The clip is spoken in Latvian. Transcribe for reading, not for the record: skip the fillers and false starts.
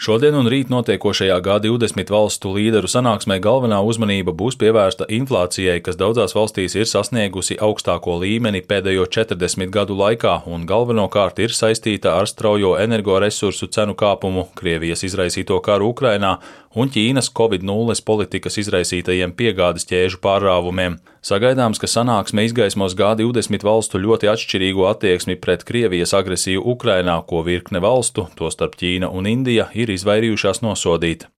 Šodien un rīt notiekošajā G20 valstu līderu sanāksmē galvenā uzmanība būs pievērsta inflācijai, kas daudzās valstīs ir sasniegusi augstāko līmeni pēdējo 40 gadu laikā un galvenokārt ir saistīta ar straujo energoresursu cenu kāpumu, Krievijas izraisīto karu Ukrainā un Ķīnas Covid-0 politikas izraisītajiem piegādes ķēžu pārrāvumiem. Sagaidāms, ka sanāksme izgaismos G20 valstu ļoti atšķirīgo attieksmi pret Krievijas agresiju Ukrainā, ko virkne valstu, tostarp Ķīna un Indija, ir izvairījušās nosodīt.